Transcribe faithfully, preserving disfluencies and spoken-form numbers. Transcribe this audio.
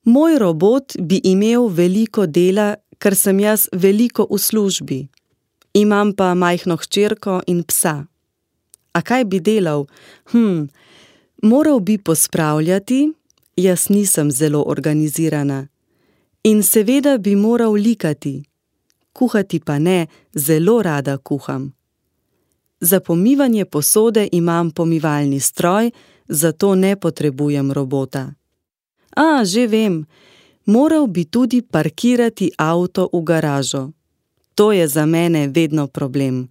Moj robot bi imel veliko dela, ker sem jaz veliko v službi. Imam pa majhno hčerko in psa. A kaj bi delal? Hm, moral bi pospravljati, jaz nisem zelo organizirana. In seveda bi moral likati. Kuhati pa ne, zelo rada kuham. Za pomivanje posode imam pomivalni stroj, zato ne potrebujem robota. A, že vem, moral bi tudi parkirati avto v garažo. To je za mene vedno problem.